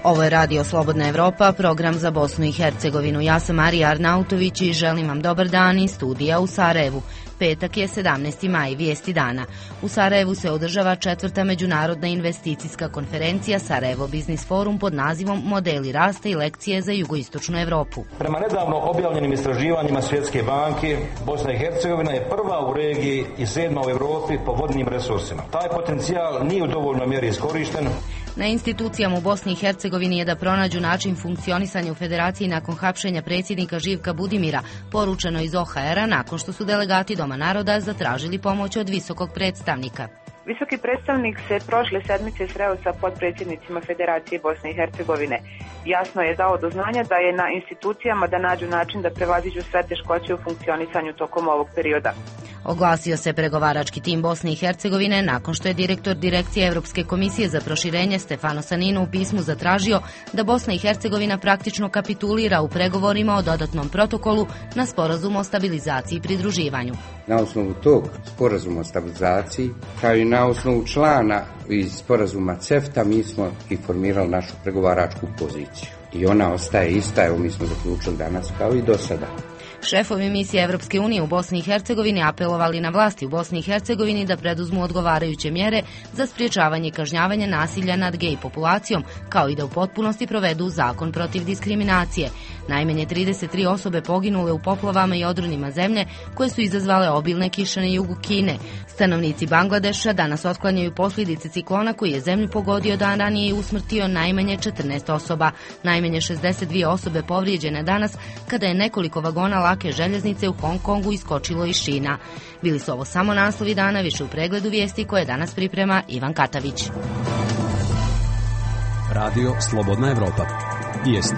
Ovo je Radio Slobodna Evropa, program za Bosnu i Hercegovinu. Ja sam Marija Arnautović i želim vam dobar dan iz studija u Sarajevu. Petak je 17. maj, vijesti dana. U Sarajevu se održava 4. međunarodna investicijska konferencija Sarajevo Biznis Forum pod nazivom Modeli rasta i lekcije za jugoistočnu Evropu. Prema nedavno objavljenim istraživanjima Svjetske banke, Bosna i Hercegovina je prva u regiji i 7. u Evropi po vodnim resursima. Taj potencijal nije u dovoljnoj mjeri iskorišten. Na institucijama u Bosni i Hercegovini je da pronađu način funkcionisanja u federaciji nakon hapšenja predsjednika Živka Budimira, poručeno iz OHR-a nakon što su delegati Doma naroda zatražili pomoć od visokog predstavnika. Visoki predstavnik se prošle sedmice sreo sa potpredsjednicima Federacije Bosne i Hercegovine. Jasno je dao do znanja da je na institucijama da nađu način da prevaziđu sve teškoće u funkcionisanju tokom ovog perioda. Oglasio se pregovarački tim Bosne i Hercegovine nakon što je direktor Direkcije Evropske komisije za proširenje Stefano Sanino u pismu zatražio da Bosna i Hercegovina praktično kapitulira u pregovorima o dodatnom protokolu na sporazum o stabilizaciji i pridruživanju. Na osnovu tog sporazuma o stabilizaciji, kao i na osnovu člana iz sporazuma CEFTA, mi smo i formirali našu pregovaračku poziciju. I ona ostaje ista, evo mi smo zaključili danas kao i do sada. Šefovi misije Evropske unije u Bosni i Hercegovini apelovali na vlasti u Bosni i Hercegovini da preduzmu odgovarajuće mjere za sprječavanje i kažnjavanje nasilja nad gej populacijom, kao i da u potpunosti provedu zakon protiv diskriminacije. Najmanje 33 osobe poginule u poplavama i odronima zemlje koje su izazvale obilne kiše na jugu Kine. Stanovnici Bangladeša danas otklanjaju posljedice ciklona koji je zemlju pogodio dan ranije i usmrtio najmanje 14 osoba. Najmanje 62 osobe povrijeđene danas kada je nekoliko vagona lake željeznice u Hong Kongu iskočilo iz šina. Bili su ovo samo naslovi dana, više u pregledu vijesti koje danas priprema Ivan Katavić. Radio Slobodna Evropa. Vijesti.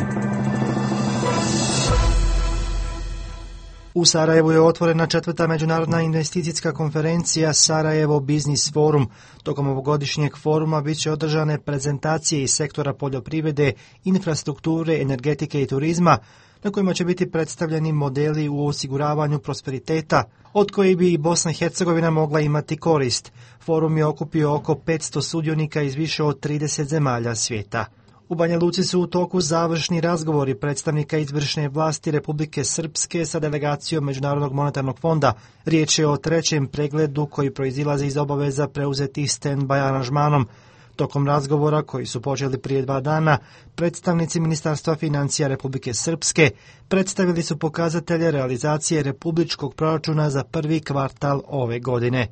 U Sarajevu je otvorena 4. međunarodna investicijska konferencija Sarajevo Biznis Forum. Tokom ovogodišnjeg foruma bit će održane prezentacije iz sektora poljoprivrede, infrastrukture, energetike i turizma, na kojima će biti predstavljeni modeli u osiguravanju prosperiteta, od kojih bi i Bosna i Hercegovina mogla imati korist. Forum je okupio oko 500 sudionika iz više od 30 zemalja svijeta. U Banja Luci su u toku završni razgovori predstavnika izvršne vlasti Republike Srpske sa delegacijom Međunarodnog monetarnog fonda. Riječ je o trećem pregledu koji proizilazi iz obaveza preuzetih stand-by aranžmanom. Tokom razgovora, koji su počeli prije 2 dana, predstavnici Ministarstva financija Republike Srpske predstavili su pokazatelje realizacije republičkog proračuna za prvi kvartal ove godine.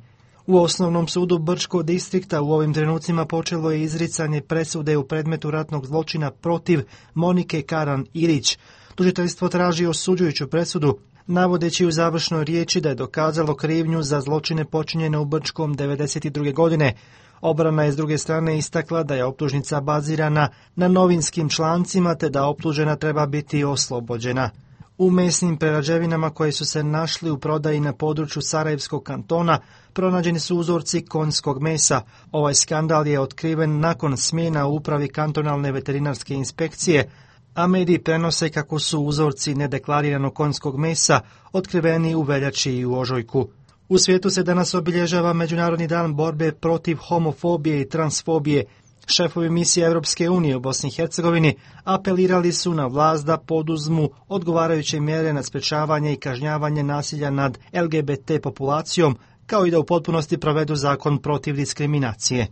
U Osnovnom sudu Brčkog distrikta u ovim trenucima počelo je izricanje presude u predmetu ratnog zločina protiv Monike Karan Ilić. Tužiteljstvo traži osuđujuću presudu, navodeći u završnoj riječi da je dokazalo krivnju za zločine počinjene u Brčkom 1992. godine. Obrana je s druge strane istakla da je optužnica bazirana na novinskim člancima te da optužena treba biti oslobođena. U mesnim prerađevinama koje su se našli u prodaji na području Sarajevskog kantona pronađeni su uzorci konjskog mesa. Ovaj skandal je otkriven nakon smjena u upravi kantonalne veterinarske inspekcije, a mediji prenose kako su uzorci nedeklariranog konjskog mesa otkriveni u veljači i u ožujku. U svijetu se danas obilježava Međunarodni dan borbe protiv homofobije i transfobije. Šefovi misije Evropske unije u Bosni i Hercegovini apelirali su na vlast da poduzmu odgovarajuće mjere na sprečavanje i kažnjavanje nasilja nad LGBT populacijom, kao i da u potpunosti provedu zakon protiv diskriminacije.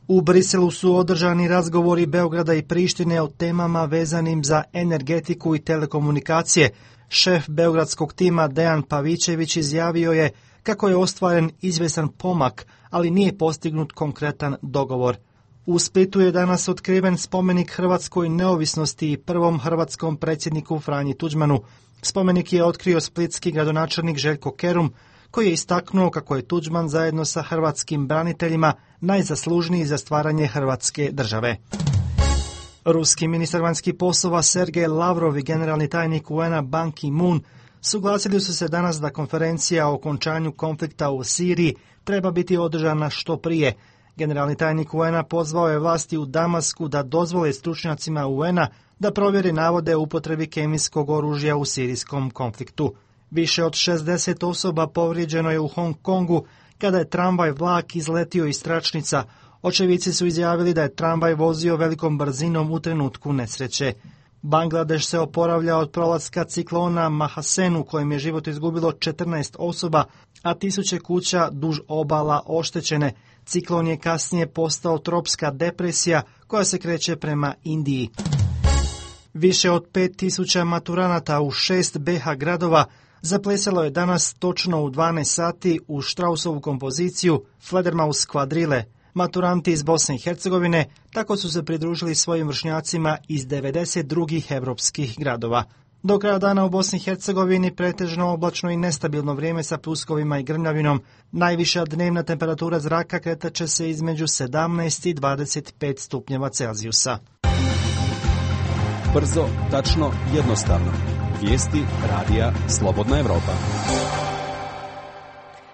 U Briselu su održani razgovori Beograda i Prištine o temama vezanim za energetiku i telekomunikacije. Šef beogradskog tima Dejan Pavićević izjavio je kako je ostvaren izvjestan pomak, ali nije postignut konkretan dogovor. U Splitu je danas otkriven spomenik hrvatskoj neovisnosti i prvom hrvatskom predsjedniku Franji Tuđmanu. Spomenik je otkrio splitski gradonačelnik Željko Kerum, koji je istaknuo kako je Tuđman zajedno sa hrvatskim braniteljima najzaslužniji za stvaranje Hrvatske države. Ruski ministar vanjskih poslova Sergej Lavrov i generalni tajnik UN-a Ban Ki-moon suglasili su se danas da konferencija o okončanju konflikta u Siriji treba biti održana što prije. Generalni tajnik UN-a pozvao je vlasti u Damasku da dozvole stručnjacima UN-a da provjeri navode o upotrebi kemijskog oružja u sirijskom konfliktu. Više od 60 osoba povrijeđeno je u Hong Kongu kada je tramvaj vlak izletio iz tračnica. Očevici su izjavili da je tramvaj vozio velikom brzinom u trenutku nesreće. Bangladeš se oporavlja od prolaska ciklona Mahasen u kojem je život izgubilo 14 osoba, a tisuće kuća duž obala oštećene. Ciklon je kasnije postao tropska depresija koja se kreće prema Indiji. Više od 5000 maturanata u 6 BiH gradova zaplesalo je danas točno u 12 sati u Straussovu kompoziciju Fledermaus kvadrile. Maturanti iz Bosne i Hercegovine tako su se pridružili svojim vršnjacima iz 90 drugih evropskih gradova. Do kraja dana u Bosni i Hercegovini pretežno oblačno i nestabilno vrijeme sa pljuskovima i grmljavinom. Najviša dnevna temperatura zraka kretaće se između 17 i 25 stupnjeva Celzijusa. Brzo, tačno, jednostavno. Vijesti radija Slobodna Evropa.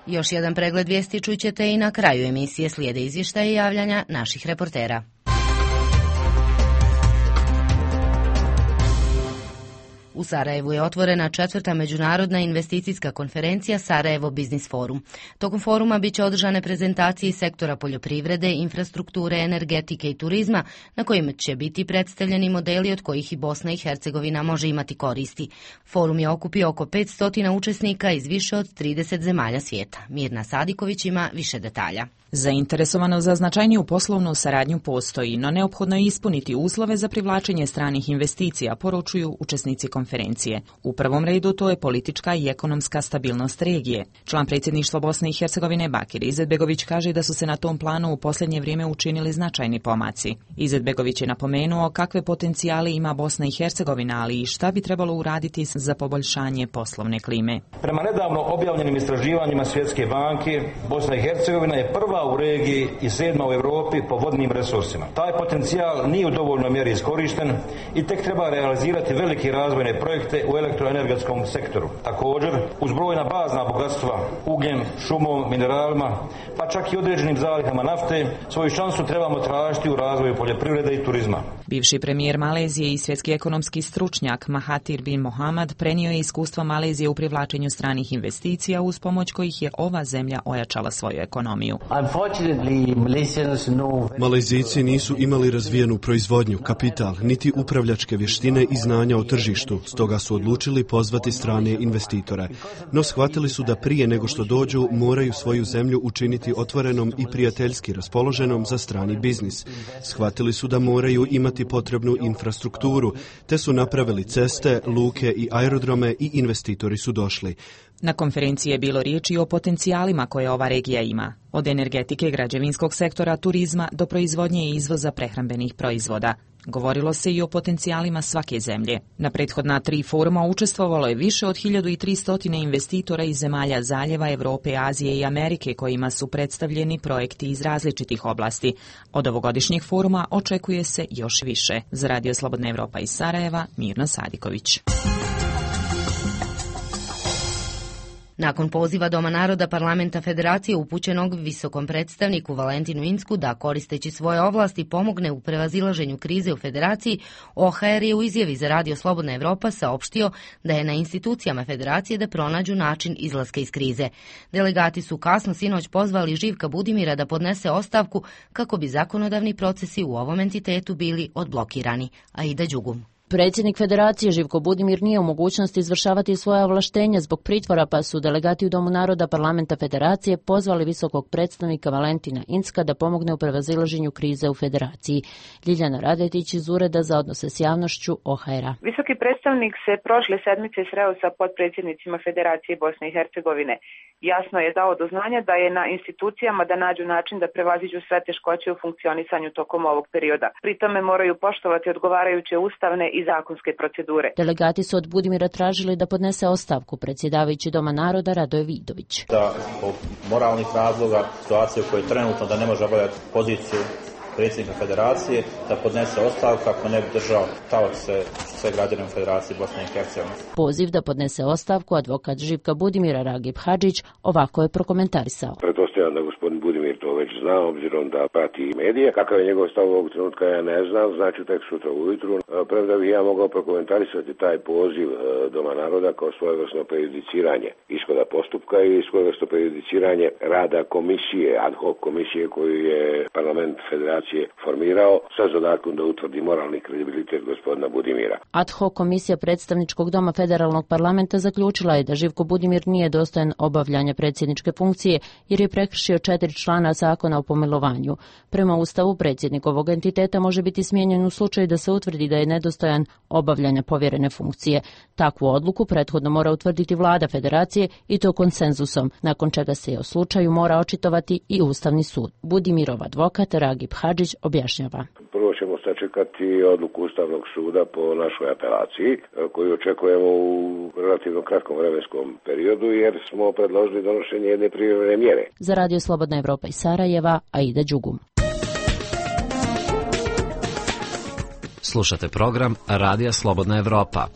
Još jedan pregled vijesti čućete i na kraju emisije, slijede izvještaje i javljanja naših reportera. U Sarajevu je otvorena 4. međunarodna investicijska konferencija Sarajevo Business Forum. Tokom foruma biće održane prezentacije iz sektora poljoprivrede, infrastrukture, energetike i turizma, na kojim će biti predstavljeni modeli od kojih i Bosna i Hercegovina može imati koristi. Forum je okupio oko 500 učesnika iz više od 30 zemalja svijeta. Mirna Sadiković ima više detalja. Zainteresovanost za značajniju poslovnu saradnju postoji, no neophodno je ispuniti uslove za privlačenje stranih investicija, poručuju učesnici konferencije. U prvom redu to je politička i ekonomska stabilnost regije. Član predsjedništva Bosne i Hercegovine Bakir Izetbegović kaže da su se na tom planu u posljednje vrijeme učinili značajni pomaci. Izetbegović je napomenuo kakve potencijale ima Bosna i Hercegovina, ali i šta bi trebalo uraditi za poboljšanje poslovne klime. Prema nedavno objavljenim istraživanjima Svjetske banke, Bosna i Hercegovina je prva u regiji i 7. u Europi po vodnim resursima. Taj potencijal nije u dovoljnoj mjeri iskorišten i tek treba realizirati velike razvojne projekte u elektroenergetskom sektoru. Također, uz brojna bazna bogatstva, ugljem, šumom, mineralima, pa čak i određenim zalihama nafte, svoju šansu trebamo tražiti u razvoju poljoprivrede i turizma. Bivši premijer Malezije i svjetski ekonomski stručnjak Mahathir bin Mohamad prenio je iskustva Malezije u privlačenju stranih investicija uz pomoć kojih je ova zemlja ojačala svoju ekonomiju. Malezijci nisu imali razvijenu proizvodnju, kapital, niti upravljačke vještine i znanja o tržištu, stoga su odlučili pozvati strane investitore. No shvatili su da prije nego što dođu moraju svoju zemlju učiniti otvorenom i prijateljski raspoloženom za strani biznis. Shvatili su da moraju imati potrebnu infrastrukturu, te su napravili ceste, luke i aerodrome i investitori su došli. Na konferenciji je bilo riječi o potencijalima koje ova regija ima, od energetike, građevinskog sektora, turizma do proizvodnje i izvoza prehrambenih proizvoda. Govorilo se i o potencijalima svake zemlje. Na prethodna 3 foruma učestvovalo je više od 1300 investitora iz zemalja zaljeva, Europe, Azije i Amerike kojima su predstavljeni projekti iz različitih oblasti. Od ovogodišnjeg foruma očekuje se još više. Za Radio Slobodna Evropa iz Sarajeva, Mirna Sadiković. Nakon poziva Doma naroda Parlamenta Federacije upućenog visokom predstavniku Valentinu Incku da koristeći svoje ovlasti pomogne u prevazilaženju krize u Federaciji, OHR je u izjavi za Radio Slobodna Evropa saopštio da je na institucijama Federacije da pronađu način izlaska iz krize. Delegati su kasno sinoć pozvali Živka Budimira da podnese ostavku kako bi zakonodavni procesi u ovom entitetu bili odblokirani. Aida Đugum. Predsjednik Federacije Živko Budimir nije u mogućnosti izvršavati svoja ovlaštenja zbog pritvora, pa su delegati u Domu naroda Parlamenta Federacije pozvali visokog predstavnika Valentina Incka da pomogne u prevazilaženju krize u Federaciji. Ljiljana Radetić iz Ureda za odnose s javnošću OHR-a. Visoki predstavnik se prošle sedmice sreo sa potpredsjednicima Federacije Bosne i Hercegovine. Jasno je dao do znanja da je na institucijama da nađu način da prevaziđu sve teškoće u funkcionisanju tokom ovog perioda. Pri tome moraju poštovati odgovarajuće ustavne i zakonske procedure. Delegati su od Budimira tražili da podnese ostavku predsjedavajući Doma naroda Radoje Vidović. Da zbog moralnih razloga, situacije u kojoj trenutno da ne može obavljati poziciju predsjednika Federacije, da podnese ostavku kako ne bi držao taoce sve građane u Federaciji Bosne i Hercegovine. Poziv da podnese ostavku advokat Živka Budimira Ragib Hadžić ovako je prokomentarisao. Pretpostavljam da gospodin Budimir to već zna, obzirom da prati medije. Kakav je njegov stav ovog trenutka, ja ne znam, znači tek sutra ujutru. Premda bih ja mogao prokomentarisati taj poziv Doma naroda kao svojevrsno prejudiciranje ishoda postupka i svojevrsno prejudiciranje rada komisije, ad hoc komisije koju je parlament federacije formirao sa zadatkom da utvrdi moralni kredibilitet gospodina Budimira. Ad hoc komisija predstavničkog doma federalnog parlamenta zaključila je da Živko Budimir nije dostojan obavljanja predsjedničke funkcije jer je prekršio 4 člana zakona o pomilovanju. Prema Ustavu, predsjednik ovog entiteta može biti smijenjen u slučaju da se utvrdi da je nedostojan obavljanja povjerene funkcije. Takvu odluku prethodno mora utvrditi vlada federacije i to konsenzusom, nakon čega se o slučaju mora očitovati i Ustavni sud. Budimirov advokat Ragib Hadžić objašnjava. Prvo ćemo sačekati odluku Ustavnog suda po našoj apelaciji, koju očekujemo u relativno kratkom vremenskom periodu, jer smo predložili donošenje jedne privremene mjere. Za Radio Slobodna Evropa iz Sarajeva, Aida Đugum. Slušate program Radija Slobodna Evropa.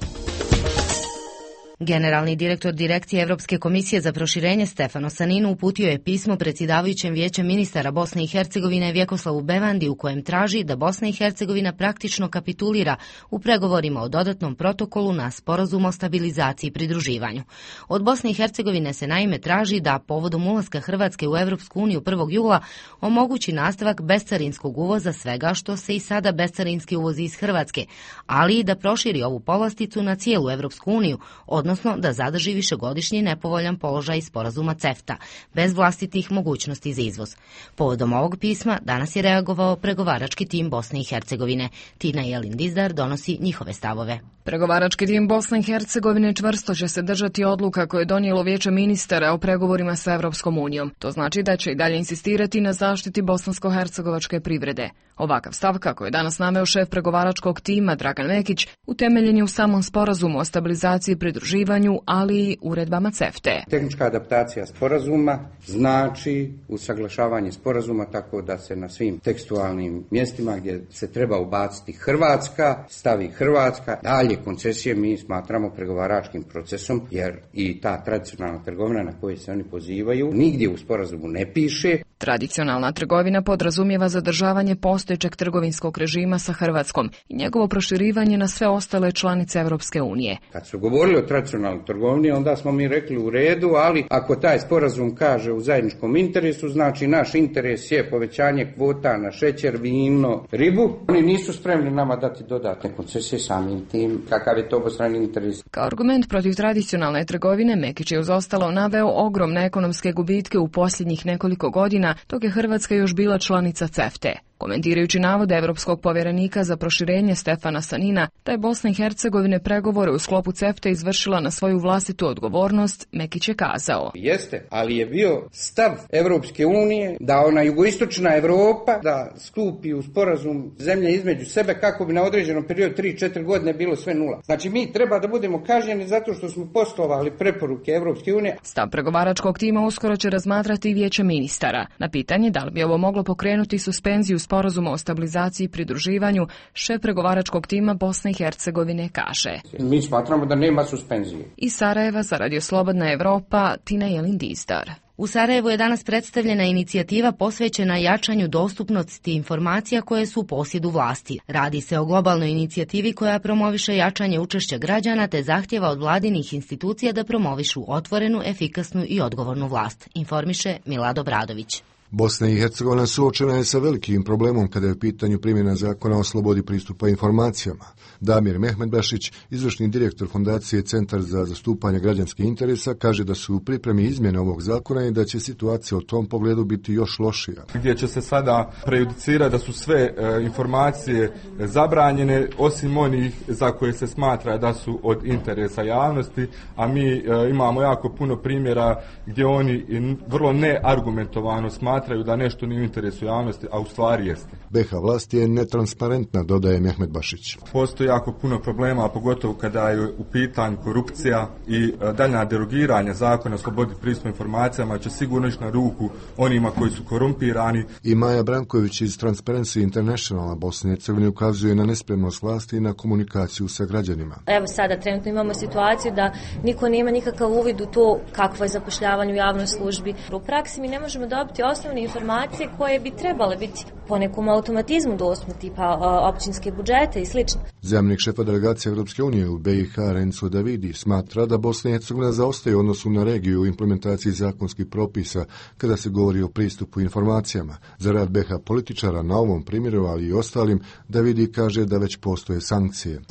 Generalni direktor Direkcije Evropske komisije za proširenje Stefano Saninu uputio je pismo predsjedavajućem vijećem ministara Bosne i Hercegovine Vjekoslavu Bevandi u kojem traži da Bosna i Hercegovina praktično kapitulira u pregovorima o dodatnom protokolu na sporazum o stabilizaciji i pridruživanju. Od Bosne i Hercegovine se naime traži da povodom ulaska Hrvatske u Evropsku uniju 1. jula omogući nastavak bescarinskog uvoza svega što se i sada bescarinski uvozi iz Hrvatske, ali i da proširi ovu povlasticu na cijelu Evropsku uniju, odnosno da zadrži višegodišnji nepovoljan položaj sporazuma CEFTA, bez vlastitih mogućnosti za izvoz. Povodom ovog pisma danas je reagovao pregovarački tim Bosne i Hercegovine. Tina Jelin Dizdar donosi njihove stavove. Pregovarački tim Bosne i Hercegovine čvrsto će se držati odluka koje je donijelo Vijeće ministara o pregovorima sa Evropskom unijom. To znači da će i dalje insistirati na zaštiti bosansko-hercegovačke privrede. Ovakav stav, kako je danas naveo šef pregovaračkog tima Dragan Mekić, utemeljen je u samom sporazumu o stabilizaciji i pridruživanju, ali i uredbama CEFTA. Tehnička adaptacija sporazuma znači usaglašavanje sporazuma tako da se na svim tekstualnim mjestima gdje se treba ubaciti Hrvatska, stavi Hrvatska. Dalje koncesije mi smatramo pregovaračkim procesom, jer i ta tradicionalna trgovina na koju se oni pozivaju nigdje u sporazumu ne piše. Tradicionalna trgovina podrazumijeva zadržavanje postojećeg trgovinskog režima sa Hrvatskom i njegovo proširivanje na sve ostale članice Evropske unije. Kad su govorili o tradicionalnoj trgovini, onda smo mi rekli u redu, ali ako taj sporazum kaže u zajedničkom interesu, znači naš interes je povećanje kvota na šećer, vino, ribu. Oni nisu spremni nama dati dodatne koncesije samim tim. Kakav je to obostrani interes? Kao argument protiv tradicionalne trgovine, Mekić je uz ostalo naveo ogromne ekonomske gubitke u posljednjih nekoliko godina, dok je Hrvatska još bila članica CEFTA. Komentirajući navode Evropskog povjerenika za proširenje Stefana Sanina, da je Bosna i Hercegovine pregovore u sklopu CEFTA izvršila na svoju vlastitu odgovornost, Mekić je kazao. Jeste, ali je bio stav Evropske unije da ona jugoistočna Evropa da skupi u sporazum zemlje između sebe kako bi na određenom periodu 3-4 godine bilo sve nula. Znači mi treba da budemo kažnjeni zato što smo poštovali preporuke Evropske unije. Stav pregovaračkog tima uskoro će razmatrati i Vijeće ministara. Na pitanje da li bi ovo moglo pokrenuti suspenziju sporazuma o stabilizaciji i pridruživanju, šef pregovaračkog tima Bosne i Hercegovine kaže. Mi smatramo da nema suspenzije. Iz Sarajeva za Radio Slobodna Evropa, Tina Jelin Dizdar. U Sarajevu je danas predstavljena inicijativa posvećena jačanju dostupnosti informacija koje su u posjedu vlasti. Radi se o globalnoj inicijativi koja promoviše jačanje učešća građana te zahtjeva od vladinih institucija da promovišu otvorenu, efikasnu i odgovornu vlast, informiše Milado Bradović. Bosna i Hercegovina suočena je sa velikim problemom kada je u pitanju primjena zakona o slobodi pristupa informacijama. Damir Mehmedbašić, izvršni direktor Fondacije Centar za zastupanje građanskih interesa, kaže da su u pripremi izmjene ovog zakona i da će situacija u tom pogledu biti još lošija. Gdje će se sada prejudicirati da su sve informacije zabranjene, osim onih za koje se smatra da su od interesa javnosti, a mi imamo jako puno primjera gdje oni vrlo neargumentovano smatraju da nešto nije u interesu javnosti, a u stvari jeste. BiH vlast je netransparentna, dodaje Mehmedbašić. Postoji jako puno problema, pogotovo kada je u pitanju korupcija i daljnja derogiranja zakona o slobodi pristupa informacijama će sigurno ići na ruku onima koji su korumpirani. I Maja Branković iz Transparency Internationala Bosne i Hercegovine ukazuje na nespremnost vlasti i na komunikaciju sa građanima. Evo sada trenutno imamo situaciju da niko nema nikakav uvid u to kakvo je zapošljavanje u javnoj službi. U praksi mi ne možemo dobiti osnovne osnovne informacije koje bi trebale biti po nekom automatizmu dostupne, tipa općinske budžete i slično. Zamjenik šefa delegacije Evropske unije u BiH Renzo Davidi smatra da Bosna i Hercegovina zaostaje u odnosu na regiju u implementaciji zakonskih propisa kada se govori o pristupu informacijama. Za rad BiH političara na ovom primjeru, ali i ostalim, Davidi kaže da već postoje sankcije.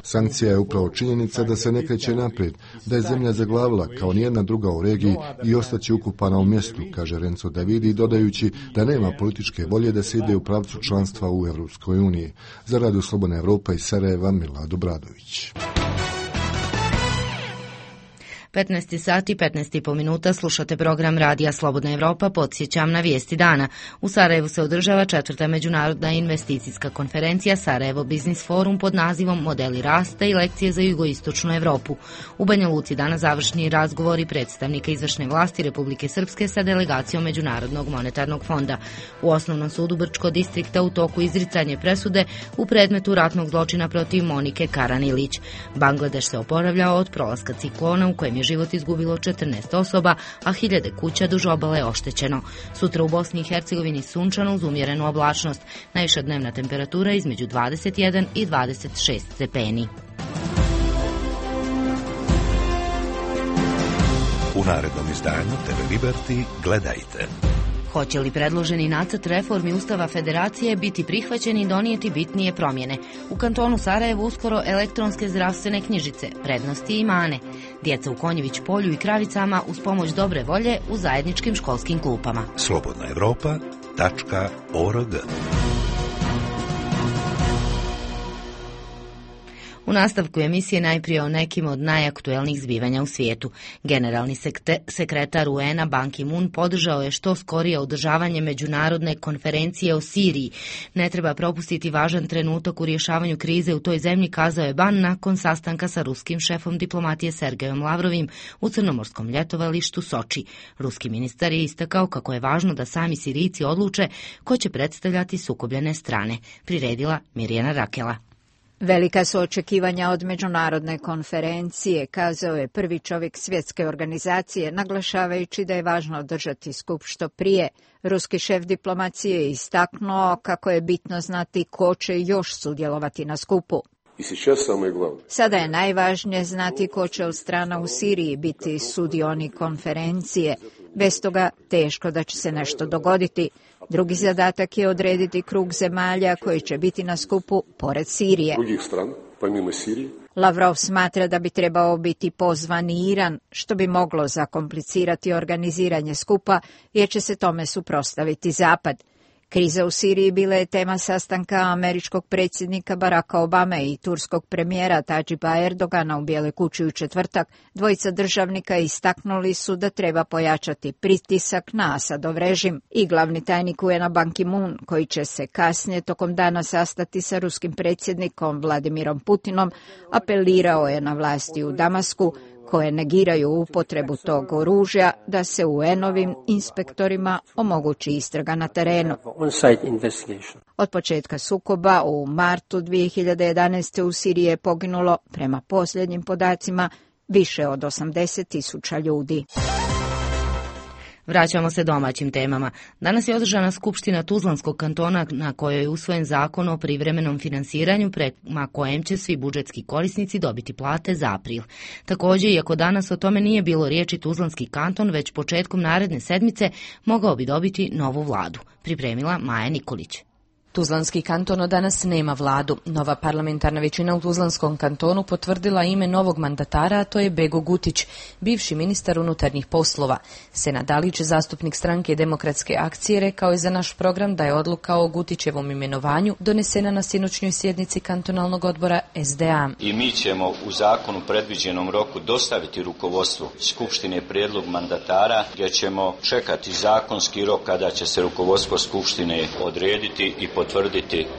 Sankcija je upravo činjenica da se ne kreće naprijed, da je zemlja zaglavila kao nijedna druga u regiji i ostaće ukupana u mjestu, kaže Renzo Davidi, dodajući da nema političke volje da se ide u pravcu članstva u Evropskoj uniji. Za Radio Slobodna Evropa iz Sarajeva, Milado Bradović. 15 sati, 15,5 minuta, slušate program Radija Slobodna Evropa, podsjećam na vijesti dana. U Sarajevu se održava 4. međunarodna investicijska konferencija Sarajevo Business Forum pod nazivom Modeli rasta i lekcije za jugoistočnu Evropu. U Banja Luci danas završni razgovori predstavnika izvršne vlasti Republike Srpske sa delegacijom Međunarodnog monetarnog fonda. U Osnovnom sudu Brčko distrikta u toku izricanje presude u predmetu ratnog zločina protiv Monike Karan-Ilić. Bangladeš se oporavljao od prolaska ciklona u kojem je život izgubilo 14 osoba, a hiljade kuća duž obale oštećeno. Sutra u Bosni i Hercegovini sunčano uz umjerenu oblačnost. Najviša dnevna temperatura između 21 i 26 stepeni. U narednom izdanju TV Liberty gledajte. Hoće li predloženi nacrt reformi Ustava Federacije biti prihvaćen i donijeti bitnije promjene? U kantonu Sarajevo uskoro elektronske zdravstvene knjižice, prednosti i mane. Djeca u Konjević polju i Kravicama uz pomoć dobre volje u zajedničkim školskim klupama. slobodnaevropa.org. U nastavku emisije najprije o nekim od najaktuelnijih zbivanja u svijetu. Generalni sekretar UN-a Ban Ki-moon podržao je što skorije održavanje međunarodne konferencije o Siriji. Ne treba propustiti važan trenutak u rješavanju krize u toj zemlji, kazao je Ban nakon sastanka sa ruskim šefom diplomatije Sergejom Lavrovim u crnomorskom ljetovalištu Soči. Ruski ministar je istakao kako je važno da sami Sirijci odluče ko će predstavljati sukobljene strane. Priredila Mirjana Rakela. Velika su očekivanja od međunarodne konferencije, kazao je prvi čovjek svjetske organizacije, naglašavajući da je važno održati skup što prije. Ruski šef diplomacije je istaknuo kako je bitno znati ko će još sudjelovati na skupu. Sada je najvažnije znati ko će od strana u Siriji biti sudionik konferencije. Bez toga teško da će se nešto dogoditi. Drugi zadatak je odrediti krug zemalja koji će biti na skupu pored Sirije. Lavrov smatra da bi trebao biti pozvan i Iran, što bi moglo zakomplicirati organiziranje skupa, jer će se tome suprotstaviti Zapad. Kriza u Siriji bila je tema sastanka američkog predsjednika Baracka Obame i turskog premijera Tadžiba Erdogana u Bijeloj kući u četvrtak. Dvojica državnika istaknuli su da treba pojačati pritisak na Asadov režim. I glavni tajnik UN-a Ban Ki-moon, koji će se kasnije tokom dana sastati sa ruskim predsjednikom Vladimirom Putinom, apelirao je na vlasti u Damasku, koje negiraju upotrebu tog oružja, da se UN-ovim inspektorima omogući istraga na terenu. Od početka sukoba u martu 2011. u Siriji je poginulo, prema posljednjim podacima, više od 80.000 ljudi. Vraćamo se domaćim temama. Danas je održana skupština Tuzlanskog kantona na kojoj je usvojen zakon o privremenom finansiranju prema kojem će svi budžetski korisnici dobiti plate za april. Također, iako danas o tome nije bilo riječi, Tuzlanski kanton već početkom naredne sedmice mogao bi dobiti novu vladu. Pripremila Maja Nikolić. Tuzlanski kanton danas nema vladu. Nova parlamentarna većina u Tuzlanskom kantonu potvrdila ime novog mandatara, a to je Bego Gutić, bivši ministar unutarnjih poslova. Senad Dalić, zastupnik stranke Demokratske akcije, rekao je za naš program da je odluka o Gutićevom imenovanju donesena na sinoćnjoj sjednici kantonalnog odbora SDA. I mi ćemo u zakonu predviđenom roku dostaviti rukovodstvu Skupštine prijedlog mandatara, gdje ćemo čekati zakonski rok kada će se rukovodstvo Skupštine odrediti i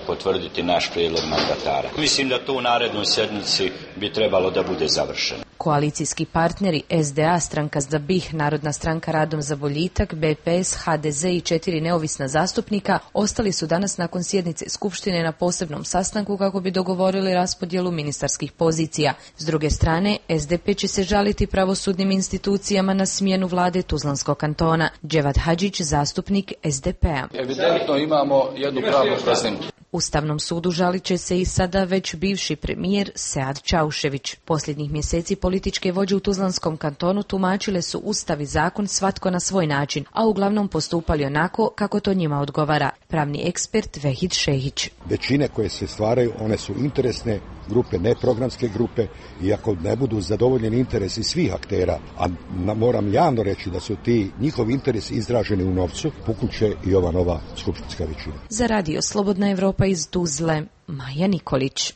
potvrditi naš prijedlog mandatara. Mislim da to u narednoj sedmici bi trebalo da bude završeno. Koalicijski partneri SDA, Stranka za BiH, Narodna stranka Radom za boljitak, BPS, HDZ i 4 neovisna zastupnika ostali su danas nakon sjednice Skupštine na posebnom sastanku kako bi dogovorili raspodjelu ministarskih pozicija. S druge strane, SDP će se žaliti pravosudnim institucijama na smjenu vlade Tuzlanskog kantona. Dževad Hadžić, zastupnik SDP-a. Evidentno imamo jednu pravnu prazninu. Ustavnom sudu žalit će se i sada već bivši premijer Sead Čaušević. Posljednjih mjeseci političke vođe u Tuzlanskom kantonu tumačile su ustav i zakon svatko na svoj način, a uglavnom postupali onako kako to njima odgovara. Pravni ekspert Vehid Šehić. Većine koje se stvaraju, one su interesne grupe, ne programske grupe, i ako ne budu zadovoljeni interesi svih aktera, a moram javno reći da su ti njihovi interesi izraženi u novcu, pukuće i ova nova skupštinska većina. Za Radio Slobodna Evropa iz Tuzle, Maja Nikolić.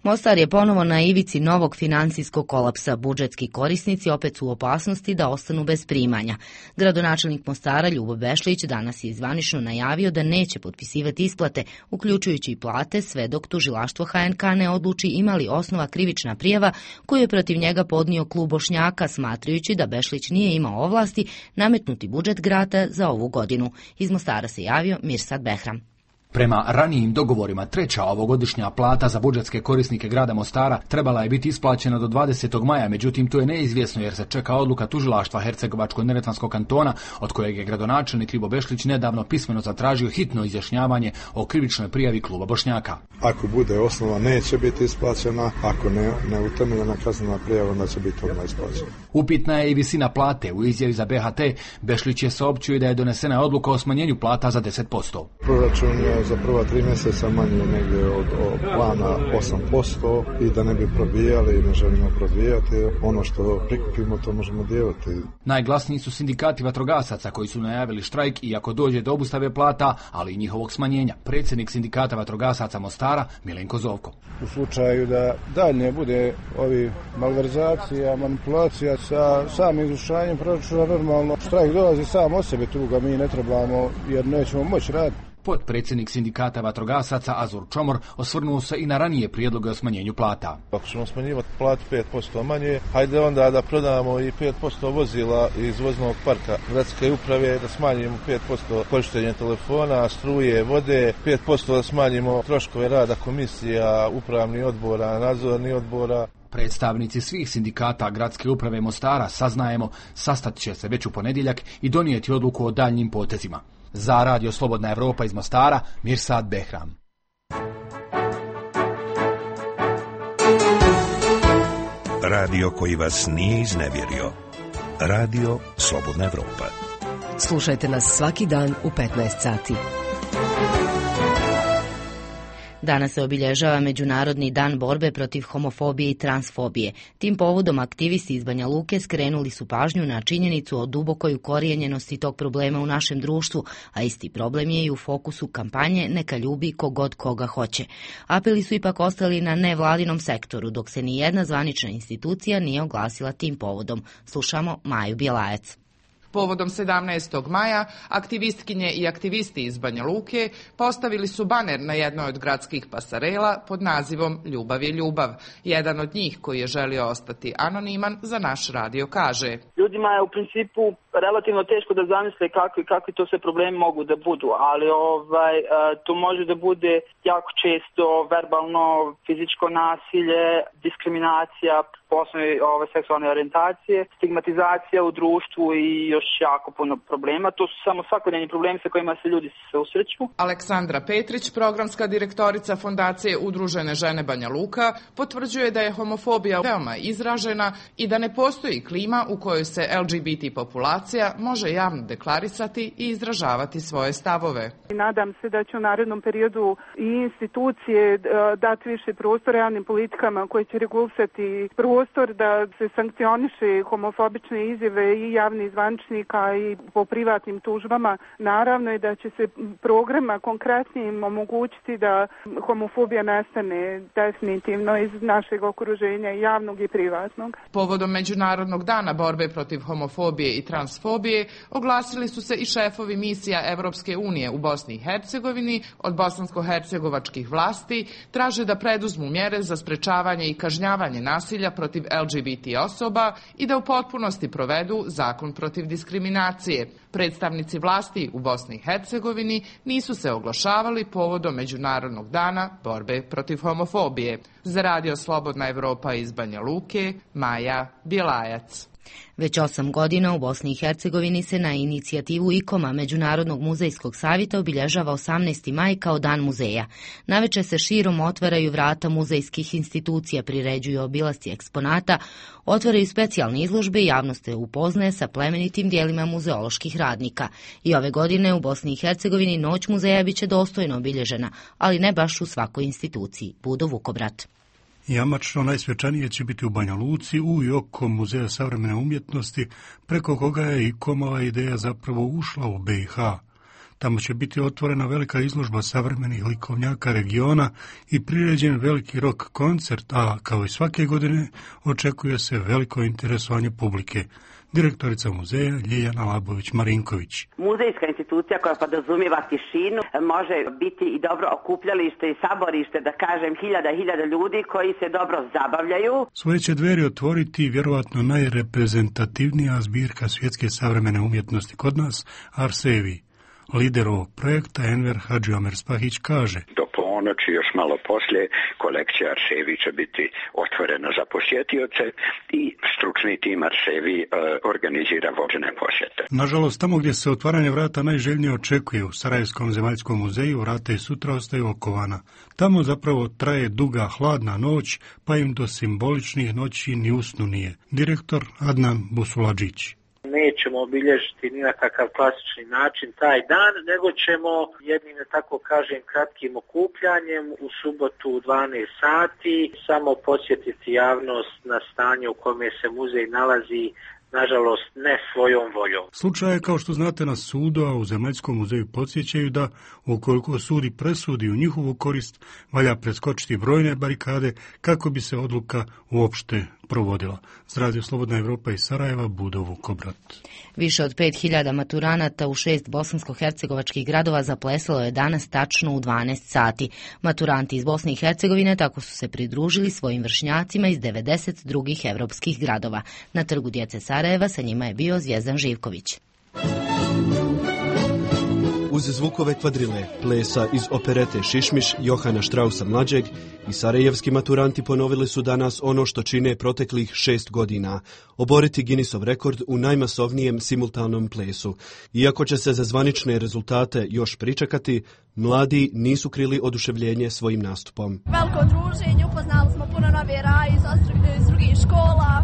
Mostar je ponovo na ivici novog financijskog kolapsa. Budžetski korisnici opet su u opasnosti da ostanu bez primanja. Gradonačelnik Mostara Ljubo Bešlić danas je zvanično najavio da neće potpisivati isplate, uključujući i plate, sve dok tužilaštvo HNK ne odluči ima li osnova krivična prijava koju je protiv njega podnio klub Bošnjaka, smatrajući da Bešlić nije imao ovlasti nametnuti budžet grada za ovu godinu. Iz Mostara se javio Mirsad Behram. Prema ranijim dogovorima, treća ovogodišnja plata za budžetske korisnike grada Mostara trebala je biti isplaćena do 20. maja, međutim to je neizvjesno jer se čeka odluka tužilaštva Hercegovačko-neretvanskog kantona, od kojeg je gradonačelnik Ljubo Bešlić nedavno pismeno zatražio hitno izjašnjavanje o krivičnoj prijavi kluba Bošnjaka. Ako bude osnova, neće biti isplaćena, ako ne utemeljena kaznena prijava, onda će biti odmah isplaćena. Upitna je i visina plate. U izjavi za BHT Bešlić je saopćio da je donesena odluka o smanjenju plata za 10%. Proračun je za prva 3 mjeseca manje negdje od plana 8% i da ne bi probijali i ne želimo probijati. Ono što prikupimo, to možemo dijeliti. Najglasniji su sindikati vatrogasaca koji su najavili štrajk iako dođe do obustave plata, ali i njihovog smanjenja. Predsjednik sindikata vatrogasaca Mostara Milenko Zovko. U slučaju da dalje bude ovi malverzacija, manipulacija sa samim izvršavanjem proračuna, normalno štrajk dolazi sam od sebe, tu ga mi ne trebamo jer nećemo moći raditi. Potpredsjednik sindikata vatrogasaca Azur Čomor osvrnuo se i na ranije prijedloge o smanjenju plata. Ako ćemo smanjivati platu 5% manje, hajde onda da prodamo i 5% vozila iz voznog parka gradske uprave, da smanjimo 5% korištenja telefona, struje, vode, 5% da smanjimo troškove rada komisija, upravnih odbora, nadzornih odbora. Predstavnici svih sindikata gradske uprave Mostara, saznajemo, sastat će se već u ponedjeljak i donijeti odluku o daljnjim potezima. Za Radio Slobodna Evropa iz Mostara, Mirsad Behram. Radio koji vas nije iznevjerio. Radio Slobodna Evropa. Slušajte nas svaki dan u 15 sati. Danas se obilježava Međunarodni dan borbe protiv homofobije i transfobije. Tim povodom aktivisti iz Banja Luke skrenuli su pažnju na činjenicu o dubokoj ukorijenjenosti tog problema u našem društvu, a isti problem je i u fokusu kampanje Neka ljubi kogod koga hoće. Apeli su ipak ostali na nevladinom sektoru, dok se ni jedna zvanična institucija nije oglasila tim povodom. Slušamo Maju Bjelajac. Povodom 17. maja, aktivistkinje i aktivisti iz Banja Luke postavili su baner na jednoj od gradskih pasarela pod nazivom Ljubav je ljubav. Jedan od njih, koji je želio ostati anoniman, za naš radio kaže: Ljudima je u principu relativno teško da zamisle kakvi to sve problemi mogu da budu, ali to može da bude jako često verbalno, fizičko nasilje, diskriminacija po osnovi seksualne orijentacije, stigmatizacija u društvu i još jako puno problema. To su samo svakodnevni problemi sa kojima se ljudi susreću. Aleksandra Petrić, programska direktorica Fondacije Udružene žene Banja Luka, potvrđuje da je homofobija veoma izražena i da ne postoji klima u kojoj se LGBT populacija može javno deklarisati i izražavati svoje stavove. Nadam se da će u narednom periodu i institucije dati više prostora javnim politikama koje će regulisati prostor da se sankcioniše homofobične izjave i javnih zvaničnika i po privatnim tužbama. Naravno je da će se programa konkretnim omogućiti da homofobija nestane definitivno iz našeg okruženja, javnog i privatnog. Povodom Međunarodnog dana borbe protiv homofobije i transfobije oglasili su se i šefovi misija Evropske unije u Bosni i Hercegovini. Od bosansko-hercegovačkih vlasti traže da preduzmu mjere za sprečavanje i kažnjavanje nasilja protiv protiv LGBT osoba i da u potpunosti provedu zakon protiv diskriminacije. Predstavnici vlasti u Bosni i Hercegovini nisu se oglašavali povodom Međunarodnog dana borbe protiv homofobije. Za Radio Slobodna Evropa iz Banja Luke, Maja Bjelajac. Već 8 godina u Bosni i Hercegovini se na inicijativu IKOM-a Međunarodnog muzejskog savjeta obilježava 18. maj kao Dan muzeja. Naveče se širom otvaraju vrata muzejskih institucija, priređuju obilasci eksponata, otvaraju specijalne izložbe i javnost se upoznaje sa plemenitim dijelima muzeoloških radnika. I ove godine u Bosni i Hercegovini Noć muzeja biće dostojno obilježena, ali ne baš u svakoj instituciji. Budo Vukobrat. Jamačno najsvečanije će biti u Banja Luci u i oko Muzeja savremene umjetnosti, preko koga je IKOM-ova ideja zapravo ušla u BiH. Tamo će biti otvorena velika izložba savremenih likovnjaka regiona i priređen veliki rock koncert, a kao i svake godine očekuje se veliko interesovanje publike. Direktorica muzeja Ljiljana Labović-Marinković. Muzejska institucija koja podrazumijeva tišinu može biti i dobro okupljalište i saborište, da kažem, hiljada ljudi koji se dobro zabavljaju. Svoje će dveri otvoriti vjerovatno najreprezentativnija zbirka svjetske savremene umjetnosti kod nas, Arsevi. Lider ovog projekta, Enver Hadžiomer Spahić, kaže: Do ponoći, još malo poslije, kolekcija Arsevi će biti otvorena za posjetioce i stručni tim Arsevi organizira vođene posjete. Nažalost, tamo gdje se otvaranje vrata najželjnije očekuje, u Sarajevskom zemaljskom muzeju, vrata i sutra ostaju okovana. Tamo zapravo traje duga hladna noć, pa im do simboličnih noći ni usnu nije. Direktor Adnan Busuladžić. Nećemo obilježiti ni na kakav klasični način taj dan, nego ćemo jednim, tako kažem, kratkim okupljanjem u subotu u 12 sati samo posjetiti javnost na stanje u kome se muzej nalazi, nažalost ne svojom voljom. Slučaj je, kao što znate, na sudu, a u Zemaljskom muzeju podsjećaju da ukoliko sud i presudi u njihovu korist, valja preskočiti brojne barikade kako bi se odluka uopšte provodila. Z Radio Slobodna Evropa iz Sarajeva, Budo Vukobrat. Više od 5000 maturanata u 6 bosansko-hercegovačkih gradova zaplesalo je danas tačno u 12 sati. Maturanti iz Bosne i Hercegovine tako su se pridružili svojim vršnjacima iz 90 drugih evropskih gradova. Na Trgu djece Sarajeva sa njima je bio Zvjezdan Živković. Uz zvukove kvadrile, plesa iz operete Šišmiš Johana Štrausa mlađeg i sarajevski maturanti ponovili su danas ono što čine proteklih 6 godina, oboriti Guinnessov rekord u najmasovnijem simultanom plesu. Iako će se za zvanične rezultate još pričekati, mladi nisu krili oduševljenje svojim nastupom. Veliko druženje, upoznali smo puno nove raje iz drugih škola.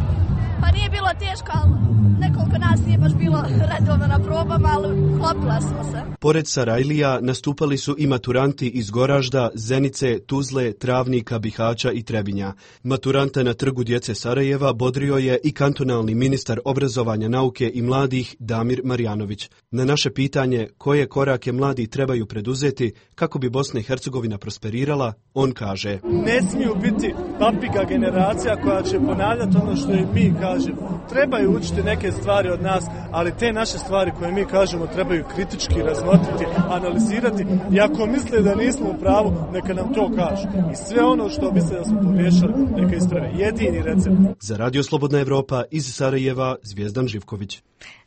Pa nije bilo teško, ali nekoliko nas nije baš bilo redovno na probama, ali klopila smo se. Pored Sarajlija nastupali su i maturanti iz Goražda, Zenice, Tuzle, Travnika, Bihaća i Trebinja. Maturante na Trgu djece Sarajeva bodrio je i kantonalni ministar obrazovanja, nauke i mladih Damir Marjanović. Na naše pitanje koje korake mladi trebaju preduzeti kako bi Bosna i Hercegovina prosperirala, on kaže: ne smiju biti papiga generacija koja će ponavljati ono što i mi kažemo. Trebaju učiti neke stvari od nas, ali te naše stvari koje mi kažemo trebaju kritički razmotriti, analizirati i ako misle da nismo u pravu, neka nam to kažu. I sve ono što misle da smo pogriješili, neka isprave. Jedini recept. Za Radio Slobodna Evropa iz Sarajeva, Zvjezdan Živković.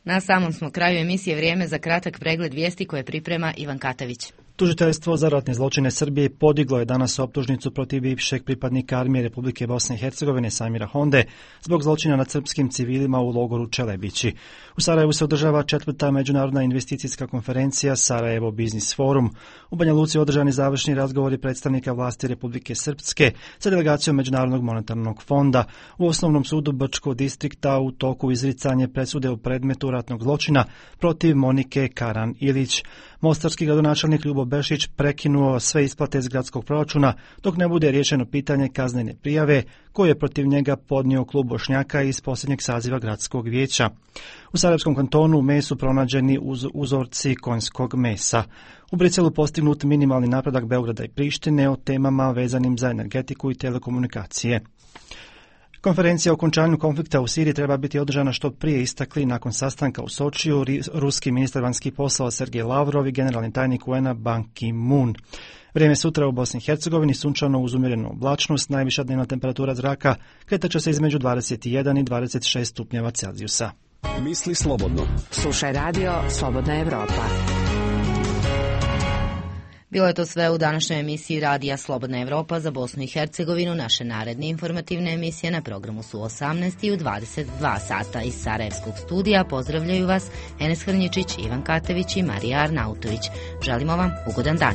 Na samom smo kraju emisije, vrijeme za kratak pregled vijesti koje priprema Ivan Katavić. Tužiteljstvo za ratne zločine Srbije podiglo je danas optužnicu protiv bivšeg pripadnika armije Republike Bosne i Hercegovine Samira Honde zbog zločina nad srpskim civilima u logoru Čelebići. U Sarajevu se održava 4. međunarodna investicijska konferencija Sarajevo Biznis Forum. U Banja Luci održani završni razgovori predstavnika vlasti Republike Srpske sa delegacijom Međunarodnog monetarnog fonda. U Osnovnom sudu Brčkog distrikta u toku izricanje presude u predmetu ratnog zločina protiv Monike Karan Ilić. Mostarski gradonačelnik Ljubo Bešić prekinuo sve isplate iz gradskog proračuna dok ne bude riješeno pitanje kaznene prijave koje je protiv njega podnio klub Bošnjaka iz posljednjeg saziva gradskog vijeća. U Sarajevskom kantonu u mesu pronađeni uzorci konjskog mesa. U Briselu postignut minimalni napredak Beograda i Prištine o temama vezanim za energetiku i telekomunikacije. Konferencija o okončanju konflikta u Siriji treba biti održana što prije, istakli nakon sastanka u Sočiju ruski ministar vanjskih poslova Sergej Lavrov i generalni tajnik UN-a Ban Ki-moon. Vrijeme sutra u Bosni i Hercegovini sunčano uz umjerenu oblačnost, najviša dnevna temperatura zraka kretaće se između 21 i 26 stupnjeva Celzijusa. Misli slobodno. Slušaj radio Slobodna Evropa. Bilo je to sve u današnjoj emisiji Radija Slobodna Evropa za Bosnu i Hercegovinu. Naše naredne informativne emisije na programu su 18 i u 22 sata. Iz Sarajevskog studija pozdravljaju vas Enes Hrnjičić, Ivan Katević i Marija Arnautović. Želimo vam ugodan dan.